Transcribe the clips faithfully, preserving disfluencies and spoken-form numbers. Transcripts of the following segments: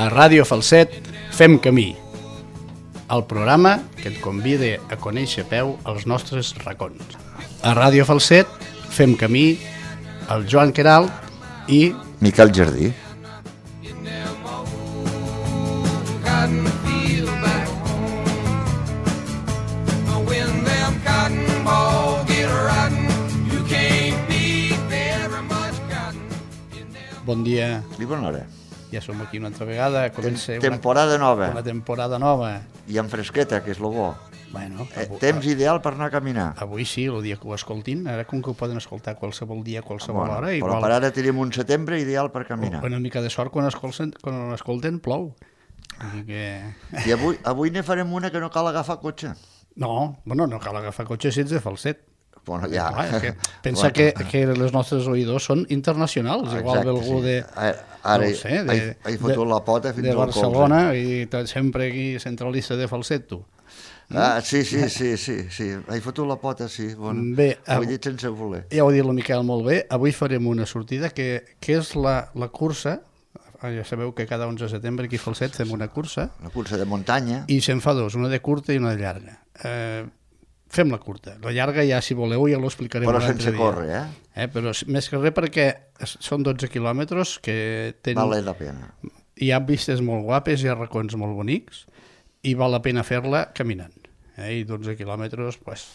A Ràdio Falset fem camí, el programa que et convida a conèixer a peu els nostres racons. A Ràdio Falset fem camí, el Joan Queralt i Miquel Jardí. Bon dia. I bona hora. Ja som aquí una altra vegada. Comença Tem temporada una, nova. Una temporada nova. I amb fresqueta, que és lo bo. Bueno, eh, avui, temps ideal per anar a caminar. Avui sí, el dia que ho escoltin. Ara com que ho poden escoltar qualsevol dia, qualsevol bueno, hora. Però igual... per ara tenim un setembre ideal per caminar. Una mica de sort quan escolten, quan escolten plou. Que... I avui, avui ne farem una que no cal agafar cotxe. No, bueno, no cal agafar cotxe si ets de Falset. Bueno, ja. Clar, que pensa bueno. que, que els nostres oïdors són internacionals, igual Exacte, d'algú sí. de... Ara no sé, de, he, he fotut de, la pota fins de al Barcelona colze. I sempre aquí centralista de Falset, tu. Ah, sí, sí, sí, sí, sí. He fotut la pota, sí. Bueno, bé, ho he dit sense voler. Ja ho ha dit el Miquel molt bé. Avui farem una sortida que, que és la, la cursa. Ja sabeu que cada onze de setembre aquí a Falset fem una cursa. Una cursa de muntanya. I se'n fa dos, una de curta i una de llarga. Eh, fem la curta. La llarga ja, si voleu, ja l'ho explicarem però un altre sense dia. córrer, eh? eh? Però més que res perquè són dotze quilòmetres que tenen... Vale la pena. Hi ha vistes molt guapes, hi ha racons molt bonics i val la pena fer-la caminant. Eh? I dotze quilòmetres, pues,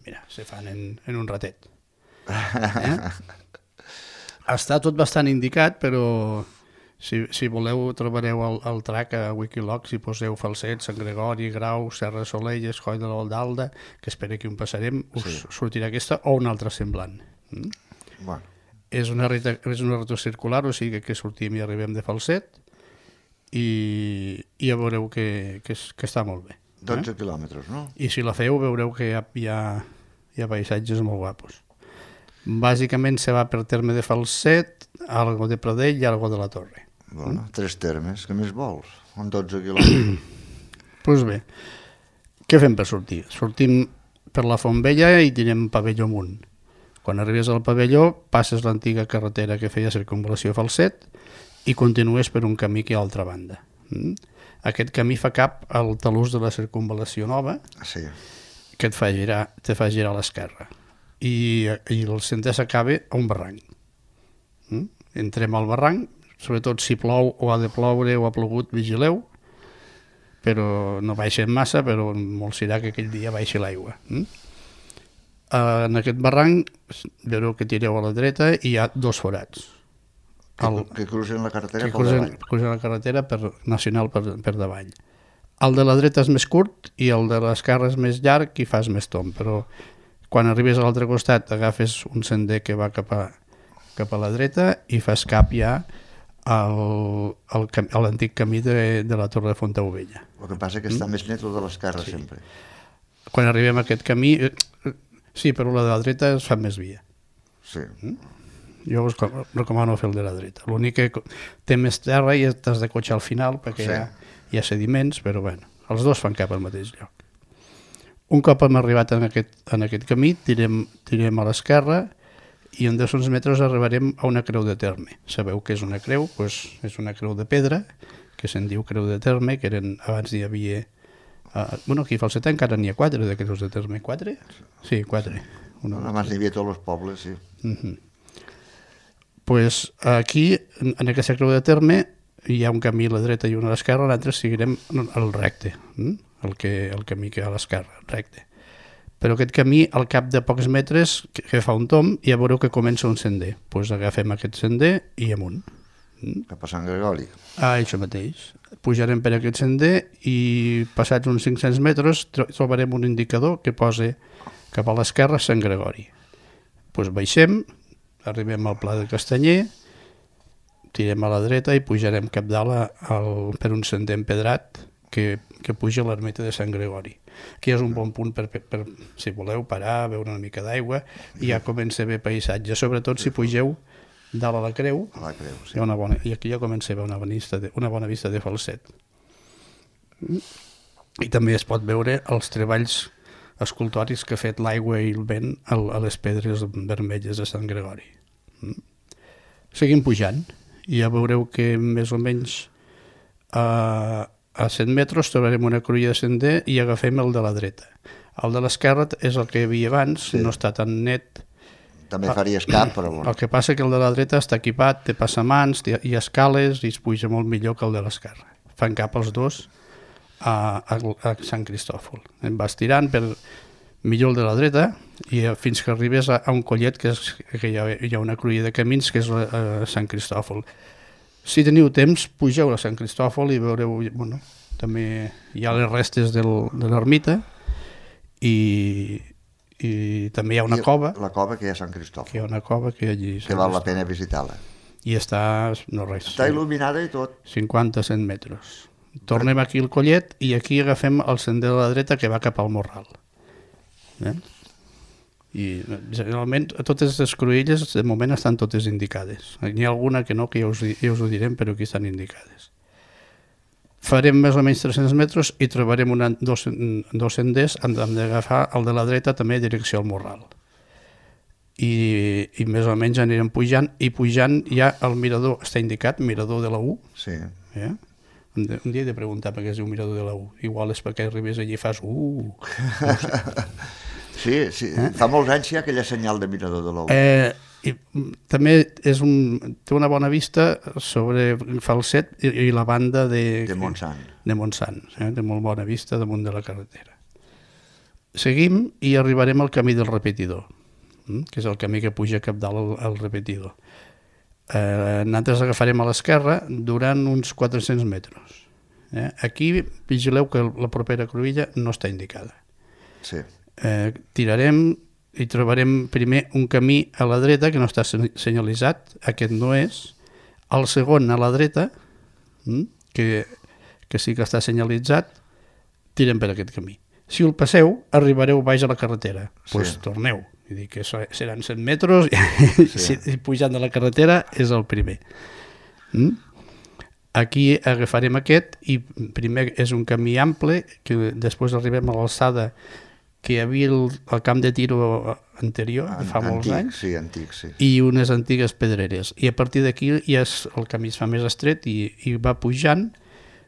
mira, se fan en, en un ratet. Eh? Està tot bastant indicat, però si, si voleu trobareu el, el track a Wikiloc, si poseu Falset, Sant Gregori, Grau, Serra de Solelles, Coll de l'Aldalda, que espero que un passarem, us sí. sortirà aquesta o una altra semblant. Mm? Bueno. És una reta, és una reta circular, o sigui que sortim i arribem de Falset i, i ja veureu que, que, és, que està molt bé. dotze eh? quilòmetres, no? I si la feu veureu que hi ha, hi ha, hi ha paisatges molt guapos. Bàsicament se va per terme de Falset, algo de Pradell i algo de la Torre. Bueno, mm? Tres termes, què més vols? En dotze quilòmetres. Doncs pues bé, què fem per sortir? Sortim per la Font Vella i tirem pavelló amunt. Quan arribes al pavelló, passes l'antiga carretera que feia circunvalació a Falset i continues per un camí que hi ha a l'altra banda. Mm? Aquest camí fa cap al talús de la circunvalació nova, sí. que et fa girar, te fa girar a l'esquerra. I, i el centre s'acaba a un barranc. Mm? Entrem al barranc, sobretot si plou o ha de ploure o ha plogut, vigileu, però no baixem massa, però molt serà que aquell dia baixi l'aigua. Mm? Uh, en aquest barranc veureu que tireu a la dreta i hi ha dos forats. Que, el, que cruzen la carretera que per cruzen, davall. cruzen la carretera per, nacional per, per davall. El de la dreta és més curt i el de l'esquerra és més llarg i fas més tomb, però quan arribes a l'altre costat agafes un sender que va cap a, cap a la dreta i fas cap ja al, al, a l'antic camí de, de la Torre de Fontaubella. El que passa que està mm? més net el de l'esquerra, sí. Sempre. Quan arribem a aquest camí, sí, però la de la dreta es fa més via. Sí. Mm? Jo us recomano fer el de la dreta. L'únic que té més terra i t'has de cotxar al final perquè sí. hi, ha, hi ha sediments, però bueno, els dos fan cap al mateix lloc. Un cop hem arribat en aquest, en aquest camí, tirem, tirem a l'esquerra i en dos cents metres arribarem a una creu de terme. Sabeu què és una creu? Pues és una creu de pedra, que se'n diu creu de terme, que eren, abans hi havia... Uh, bueno, aquí a Falset encara n'hi ha quatre de creus de terme. Quatre? Sí, quatre. Una abans n'hi havia tots els pobles, sí. Uh-huh. Pues aquí, en aquesta creu de terme, hi ha un camí a la dreta i un a l'esquerra, l'altre seguirem el recte, el, que, el camí que hi ha a l'esquerra, recte. Però aquest camí, al cap de pocs metres, que, que fa un tomb, ja veureu que comença un sender. Doncs pues agafem aquest sender i amunt. Cap a Sant Gregori. Ah, això mateix. Pujarem per aquest sender i passats uns cinc-cents metres trobarem un indicador que posa cap a l'esquerra Sant Gregori. Doncs pues baixem, arribem al Pla de Castanyer, tirem a la dreta i pujarem cap dalt a, al, per un sender empedrat que, que puja a l'ermita de Sant Gregori. Aquí és un bon punt per, per, per si voleu parar, beure una mica d'aigua i ja comença a haver paisatge, sobretot si pugeu dalt a la creu, a la creu sí. hi ha una bona, i aquí ja comença a haver una bona vista de, una bona vista de Falset. I també es pot veure els treballs escultòrics que ha fet l'aigua i el vent a les pedres vermelles de Sant Gregori. Seguim pujant i ja veureu que més o menys a, a cent metres trobarem una cruïlla de sender i agafem el de la dreta. El de l'esquerra és el que hi havia abans, sí. No està tan net. També faries cap, però bueno. El que passa que el de la dreta està equipat, té passamans, té, hi ha escales i es puja molt millor que el de l'esquerra. Fan cap els dos a, a, a Sant Cristòfol. Em vas tirant per millor el de la dreta i fins que arribes a, a un collet que, és, que hi, ha, hi ha una cruïlla de camins que és a, a Sant Cristòfol. Si teniu temps, pugeu a Sant Cristòfol i veureu, bueno, també hi ha les restes del, de l'ermita i, i també hi ha una I cova. La cova que hi ha a Sant Cristòfol. Que hi ha una cova que allí... Que val la pena visitar-la. I està, no res... Està il·luminada i tot. cinquanta a cent metres. Tornem aquí al collet i aquí agafem el sender de la dreta que va cap al Morral. Eh? I generalment totes les cruïlles de moment estan totes indicades. N'hi ha alguna que no, que ja us, ja us ho direm, però aquí estan indicades. Farem més o menys tres-cents metres i trobarem una, dos, dos senders, hem d'agafar el de la dreta també direcció al Morral. I, i més o menys anirem pujant, i pujant ja el mirador està indicat, mirador de la U. Sí. Eh? Un dia he de preguntar per què es diu mirador de la U. Igual és perquè arribes allí i fas uh. No sé. Sí, sí. Eh? Fa molts anys hi ha aquella senyal de mirador de la U. Eh, i, també és un, té una bona vista sobre Falset i, i la banda de, de Montsant. De Montsant, eh? Té molt bona vista damunt de la carretera. Seguim i arribarem al camí del repetidor, que és el camí que puja cap dalt al, al repetidor. Eh, nosaltres agafarem a l'esquerra durant uns quatre-cents metres. Eh? Aquí vigileu que la propera cruïlla no està indicada. Sí. Eh, tirarem i trobarem primer un camí a la dreta que no està senyalitzat, aquest no és. El segon a la dreta, que, que sí que està senyalitzat, tirem per aquest camí. Si el passeu, arribareu baix a la carretera. Doncs sí. Pues torneu. Vull dir que seran cent metres i, sí. i pujant de la carretera és el primer. Mm? Aquí agafarem aquest i primer és un camí ample que després arribem a l'alçada que hi havia el, el camp de tiro anterior, de fa molts antic, anys, sí, antic, sí. I unes antigues pedreres. I a partir d'aquí ja és, el camí es fa més estret i, i va pujant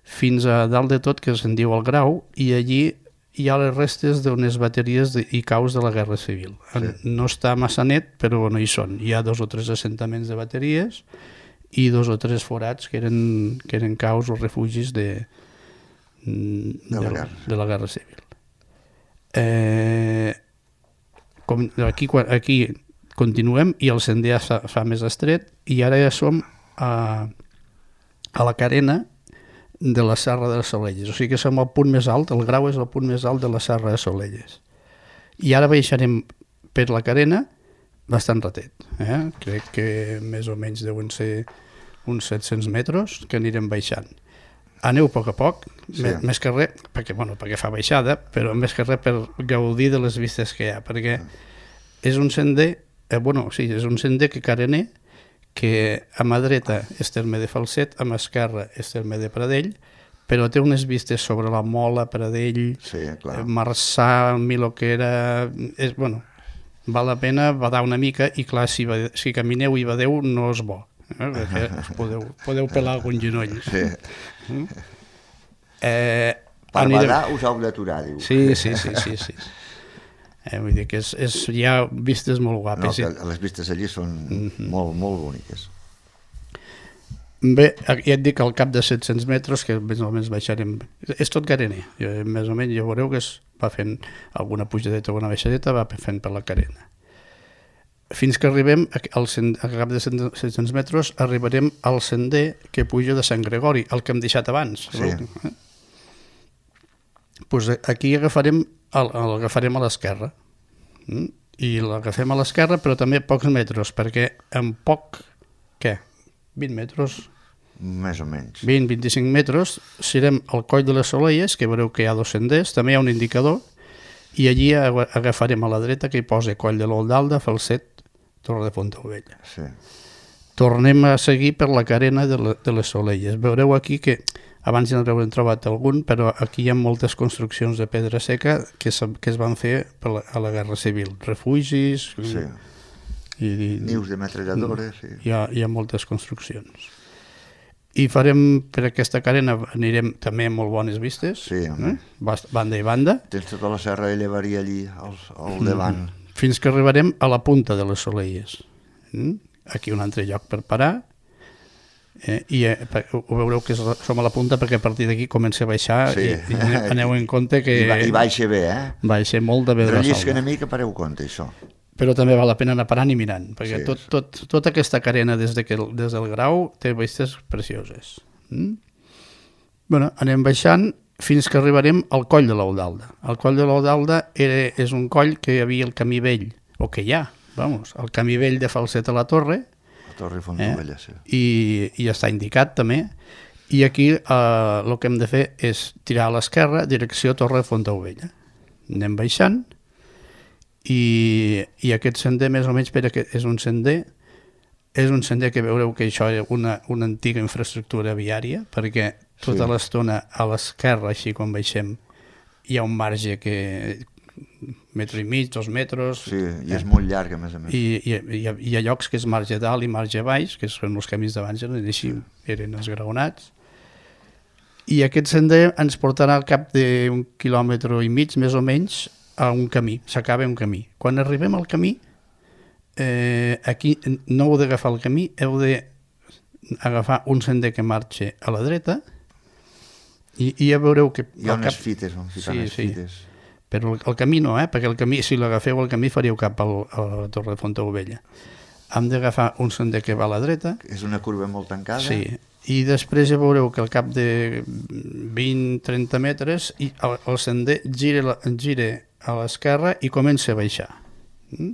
fins a dalt de tot, que se'n diu el Grau, i allí hi ha les restes d'unes bateries de, i caus de la Guerra Civil. Sí. No està massa net, però no hi són. Hi ha dos o tres assentaments de bateries i dos o tres forats que eren, que eren caus o refugis de, de, de, la, guerra. de la Guerra Civil. Eh, com aquí, aquí continuem i el sender ja fa, fa més estret i ara ja som a, a la carena de la Serra de Solelles, o sigui que som al punt més alt, el Grau és el punt més alt de la Serra de Solelles. I ara baixarem per la carena bastant ratet, eh? Crec que més o menys deuen ser uns set-cents metres que anirem baixant. Aneu a poc a poc, sí. més, més que res, perquè, bueno, perquè fa baixada, però més que res per gaudir de les vistes que hi ha, perquè és un sender, eh, bueno, sí, és un sender que carener, que a mà dreta és terme de Falset, a mà esquerra és terme de Pradell, però té unes vistes sobre la Mola, Pradell, sí, clar. Marçà, Miloquera... És, bueno, val la pena badar una mica i clar, si, si camineu i badeu no és bo, eh? Perquè podeu, podeu pelar algun genoll. Sí. Mm? Eh, per anirem... badar us heu d'aturar, diu. Sí, sí, sí, sí, sí. Eh, vull dir que és, és, hi ha vistes molt guapes. No, que les vistes allí són mm-hmm. molt, molt boniques. Bé, ja et dic al cap de set-cents metres, que més o menys baixarem... És tot carener, més o menys ja veureu que es va fent alguna pujadeta o una baixadeta, va fent per la carena. Fins que arribem, al, al cap de set-cents metres, arribarem al sender que puja de Sant Gregori, el que hem deixat abans. Sí. Eh? Pues aquí agafarem, el, l'agafarem a l'esquerra. Mm? I l'agafem a l'esquerra, però també pocs metres, perquè en poc, què? vint metres? Més o menys. vint a vint-i-cinc metres, serem al coll de les Solelles, que veureu que hi ha dos senders, també hi ha un indicador, i allí agafarem a la dreta que hi posa Coll de l'Oldalda, Falset, Torre de Fontaubella. Sí. Tornem a seguir per la carena de, la, de les Solelles. Veureu aquí que abans ja n'haurem trobat algun, però aquí hi ha moltes construccions de pedra seca que, es, que es van fer per la, a la Guerra Civil. Refugis... Sí. I, i, nius de metralladores. Sí. Hi, ha, hi ha moltes construccions. I farem, per aquesta carena, anirem també amb molt bones vistes, Sí, eh? Banda i banda. Tens tota la serra de Llevarí allí al, al davant. Mm. Fins que arribarem a la punta de les Soleies. Mm? Aquí un altre lloc per parar. Eh? I eh, ho veureu que som a la punta perquè a partir d'aquí comença a baixar Sí. i, i aneu, aneu en compte que I, ba I baixa bé, eh? baixa molt de bé de la Rellisca salva. una mica, pareu compte, això. Però també val la pena anar parant i mirant, perquè Sí, tot, tot, tota aquesta carena des, de que, des del Grau té vistes precioses. Mm? Bueno, anem baixant fins que arribarem al coll de l'Eudalda. El coll de l'Eudalda és un coll que hi havia el camí vell, o que hi ha, vamos, el camí vell de Falset a la Torre, La Torre Fontovella, eh? sí. i, i està indicat també, i aquí eh, el que hem de fer és tirar a l'esquerra, direcció Torre de Fontaubella. Anem baixant, i, i aquest sender més o menys per aquest, és un sender és un sender que veureu que això és una, una antiga infraestructura viària, perquè tota Sí. l'estona a l'esquerra, així quan baixem, hi ha un marge que metro i mig, dos metres, Sí, i és molt llarg, a més a més. i, i, i, hi ha, hi ha llocs que és marge dalt i marge baix, que són els camins d'abans, eren així, eren esgraonats, i aquest sender ens portarà al cap d'un quilòmetre i mig, més o menys, a un camí, s'acaba un camí. Quan arribem al camí, eh, aquí no heu d'agafar el camí, heu d'agafar un sender que marxa a la dreta, i, i ja veureu que... Hi ha al unes cap... fites, on ficar Sí, unes sí. fites. Però el, el camí no, eh? Perquè el camí, si l'agafeu el camí faríeu cap al, a la Torre de Fontaubella. Hem d'agafar un sender que va a la dreta. És una curva molt tancada. Sí, i després ja veureu que al cap de vint a trenta metres i el, el sender gira, gira a l'esquerra i comença a baixar. Mm?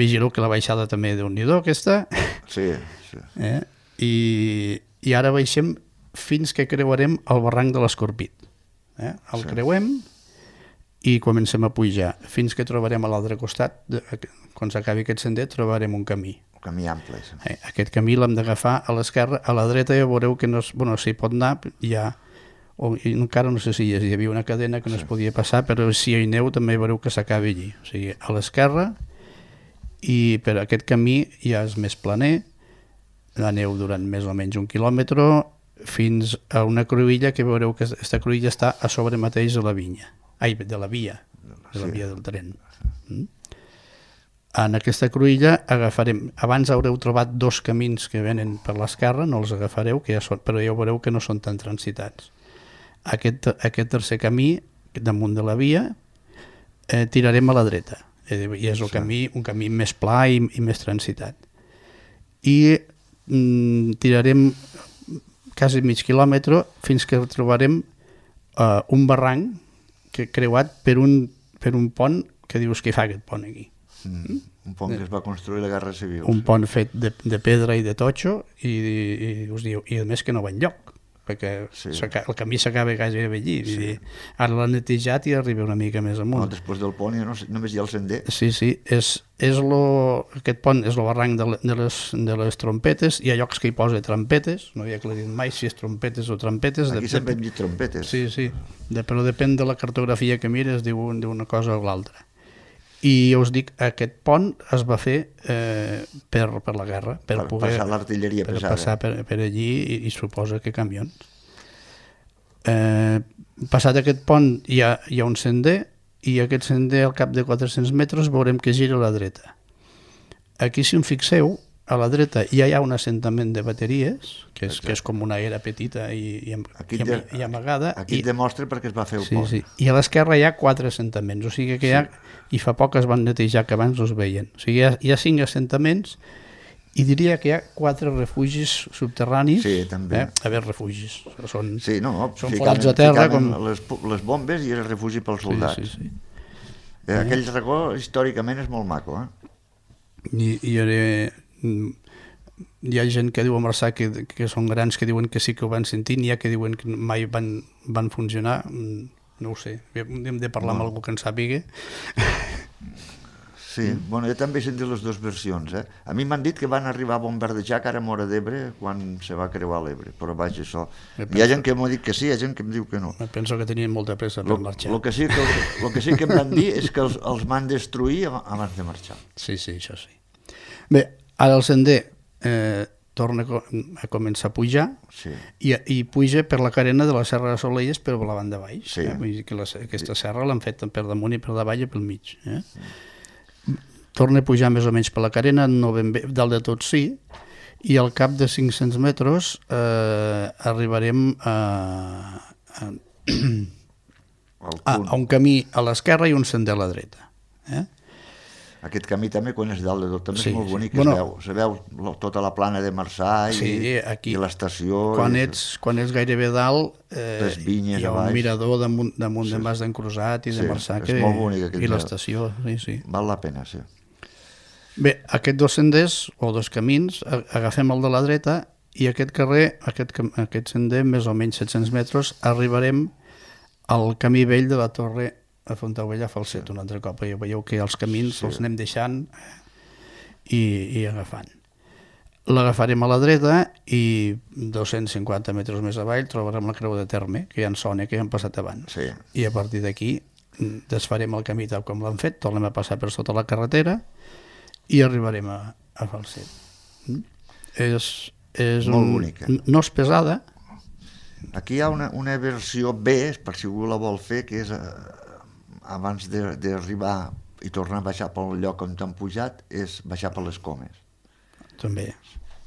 Vigileu que la baixada també és déu-n'hi-do, aquesta. Sí, sí. Eh? I, I ara baixem fins que creuarem el barranc de l'Escorpit. Eh? El Sí. creuem i comencem a pujar fins que trobarem a l'altre costat, de, quan s'acabi aquest sender trobarem un camí. Un camí ample. Sí. Eh, aquest camí l'hem d'agafar a l'esquerra, a la dreta ja veureu que no es, bueno, s'hi pot anar, hi ha, o, i encara no sé si hi havia una cadena que no Sí. es podia passar, però si hi aneu també veureu que s'acaba allí, o sigui, a l'esquerra, i per aquest camí ja és més planer, aneu durant més o menys un quilòmetre fins a una cruïlla que veureu que aquesta cruïlla està a sobre mateix de la vinya, ai, de la via, de la Sí. via del tren. Mm? En aquesta cruïlla agafarem, abans haureu trobat dos camins que venen per l'esquerra, no els agafareu, que ja són, però ja veureu que no són tan transitats. Aquest, aquest tercer camí, damunt de la via, eh, tirarem a la dreta, eh, i és el Sí. camí, un camí més pla i, i més transitat. I mm, tirarem quasi mig quilòmetre fins que trobarem eh, un barranc que creuat per un, per un pont que dius que fa aquest pont aquí. Mm. Un pont que es va construir a la Guerra Civil. Un pont fet de, de pedra i de totxo i, i, us diu, i a més que no va enlloc, perquè Sí. el camí s'acaba gairebé allí. Sí. Vull dir, ara l'han netejat i arriba una mica més No, amunt. després del pont ja no, només hi ha el sender. Sí, sí, és, és lo, aquest pont és el barranc de, le- de, les, de les trompetes, hi ha llocs que hi posa trompetes, no havia aclarit mai si és trompetes o trompetes. Aquí sempre hem dit trompetes. Sí, sí, de, però depèn de la cartografia que mires, diu, diu una cosa o l'altra. I us dic, aquest pont es va fer eh, per, per la guerra, per, Per poder passar l'artilleria per pesada. passar per, per allí i, i suposa que camions. Eh, passat aquest pont hi ha, hi ha un sender i aquest sender al cap de quatre-cents metres veurem que gira a la dreta. Aquí, si em fixeu, a la dreta ja hi ha un assentament de bateries, que és, que és com una era petita i, i, am- Aquí i, de- am- i amagada. Aquí i, et demostra perquè es va fer el sí, pont. sí. I a l'esquerra hi ha quatre assentaments, o sigui que hi ha, i fa poc es van netejar, que abans no es veien. O sigui, hi ha, hi ha cinc assentaments i diria que hi ha quatre refugis subterranis. Sí, també. Eh? A veure, refugis. Són, Sí, no, són ficant, forats a terra. ficant Com... les, les bombes i el refugi pels soldats. Sí, sí, sí. Eh, aquell racó històricament és molt maco, eh? I, i ara, mm, hi ha gent que diu a Marçà que, que són grans que diuen que sí que ho van sentir, n'hi ha que diuen que mai van, van funcionar. Mm, no ho sé, hem de parlar No. amb algú que en sàpiga. Sí, bueno, jo també he sentit les dues versions, eh? A mi m'han dit que van arribar a bombardejar cara a Móra d'Ebre quan se va creuar l'Ebre, però vaja, això... Hi ha gent que m'ha dit que sí, hi ha gent que em diu que no. Penso que tenien molta pressa per marxar. El que, sí que, lo que sí que em van dir és que els, els van destruir ab- abans de marxar. Sí, sí, això sí. Bé, ara el sender, eh, torna a començar a pujar sí. i, i puja per la carena de la Serra de Solelles per la banda baix. Sí. Eh? Vull dir que la, aquesta serra l'han fet per damunt i per davall i pel mig. Eh? Torna a pujar més o menys per la carena, no ben bé, dalt de tot sí, i al cap de cinc-cents metres eh, arribarem a, a, a, a un camí a l'esquerra i un sender a la dreta. Eh? Aquest camí també, quan és dalt de tot, també sí, és molt bonic, sí. Bueno, es, veu, es veu tota la plana de Marçà i, sí, aquí, i l'estació. Quan, i... ets, quan ets gairebé dalt, eh, les vinyes hi ha un mirador damunt, damunt sí. de Mas d'en Crusat i de sí, Marçà és molt bonic, i l'estació. Sí, sí. Val la pena, sí. Bé, aquests dos senders, o dos camins, agafem el de la dreta i aquest carrer, aquest, aquest sender, més o menys set-cents metres, arribarem al camí vell de la Torre a Fontaubella a Falset un altre cop. Veieu que els camins sí. els anem deixant i, i agafant. L'agafarem a la dreta i dos-cents cinquanta metres més avall trobarem la Creu de Terme, que ja en sona, que ja han passat abans. Sí. I a partir d'aquí desfarem el camí tal com l'han fet, tornem a passar per sota la carretera i arribarem a, a Falset. Mm? És, és molt un, bonica. No és pesada. Aquí hi ha una, una versió B, per si algú la vol fer, que és... Eh, abans d'arribar i tornar a baixar pel lloc on t'han pujat, és baixar per les Comes. També.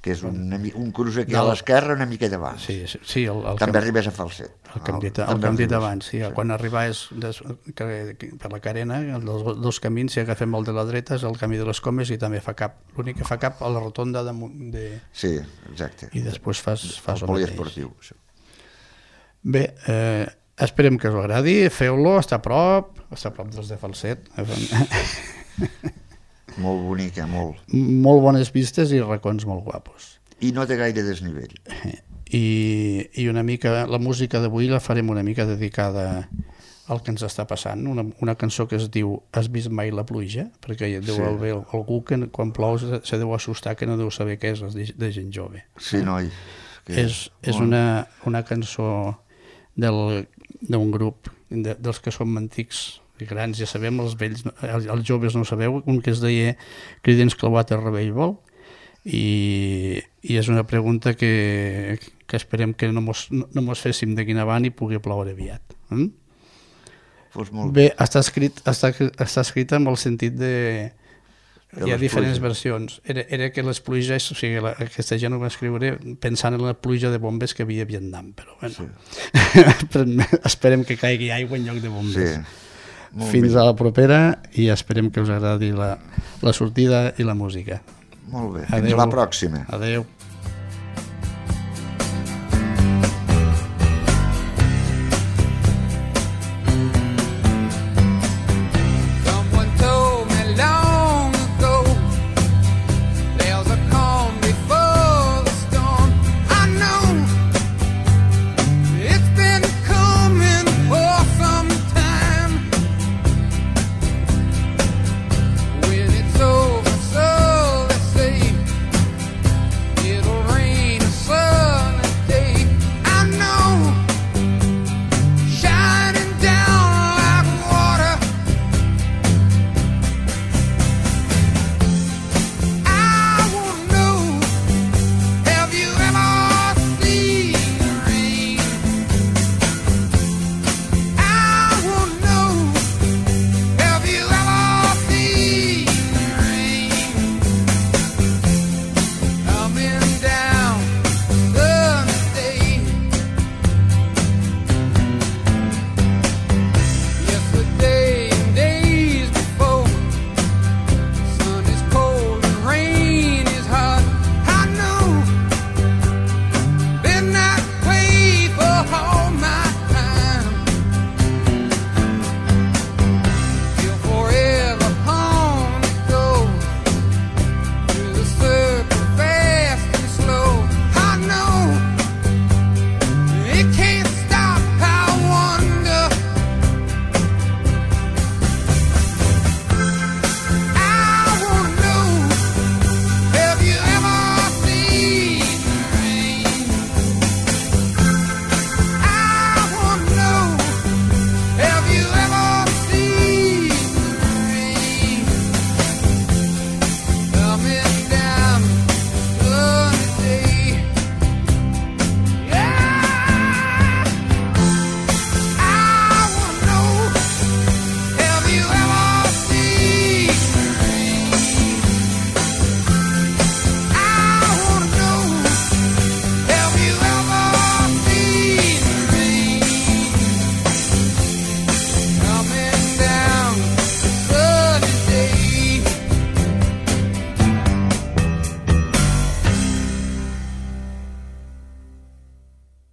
Que és un, un cruç aquí a l'esquerra una miqueta abans. Sí, sí, sí, el, el també camp... arribes a Falset. El que hem dit, el que hem dit abans, sí. sí. Quan arribes des, que, que, per la carena, els dos camins, si agafem el de la dreta, és el camí de les Comes i també fa cap. L'únic que fa cap a la rotonda de... de... Sí, exacte. I després fas, fas el, el poliesportiu. Això. Bé, eh, esperem que us agradi, feu-lo, està a prop, està a prop dels de Falset. Molt bonica, molt. Molt bones vistes i racons molt guapos. I no té gaire desnivell. I, i una mica, la música d'avui la farem una mica dedicada al que ens està passant, una, una cançó que es diu Has vist mai la pluja? Perquè deu sí. haver algú que quan plou se, se deu assustar que no deu saber què és de, de gent jove. Sí, noi. Que és és bon. una, una cançó d'un grup de, dels que som antics i grans, ja sabem, els vells, els, els joves no ho sabeu, un que es deia Creedence Clearwater Revival, i, i és una pregunta que, que esperem que no mos, no, no mos féssim d'aquí en avant i pugui ploure aviat. Mm? Pues molt bé, està escrit, està, està escrit amb el sentit de... de hi ha diferents pluges. Versions. Era, era que les pluges, o sigui, la, aquesta gent ho va escriure pensant en la pluja de bombes que havia a Vietnam, però bueno, sí. esperem que caigui aigua en lloc de bombes. Sí. Fins bé. A la propera i esperem que us agradi la, la sortida i la música. Molt bé, fins Adeu. La pròxima. Adeu.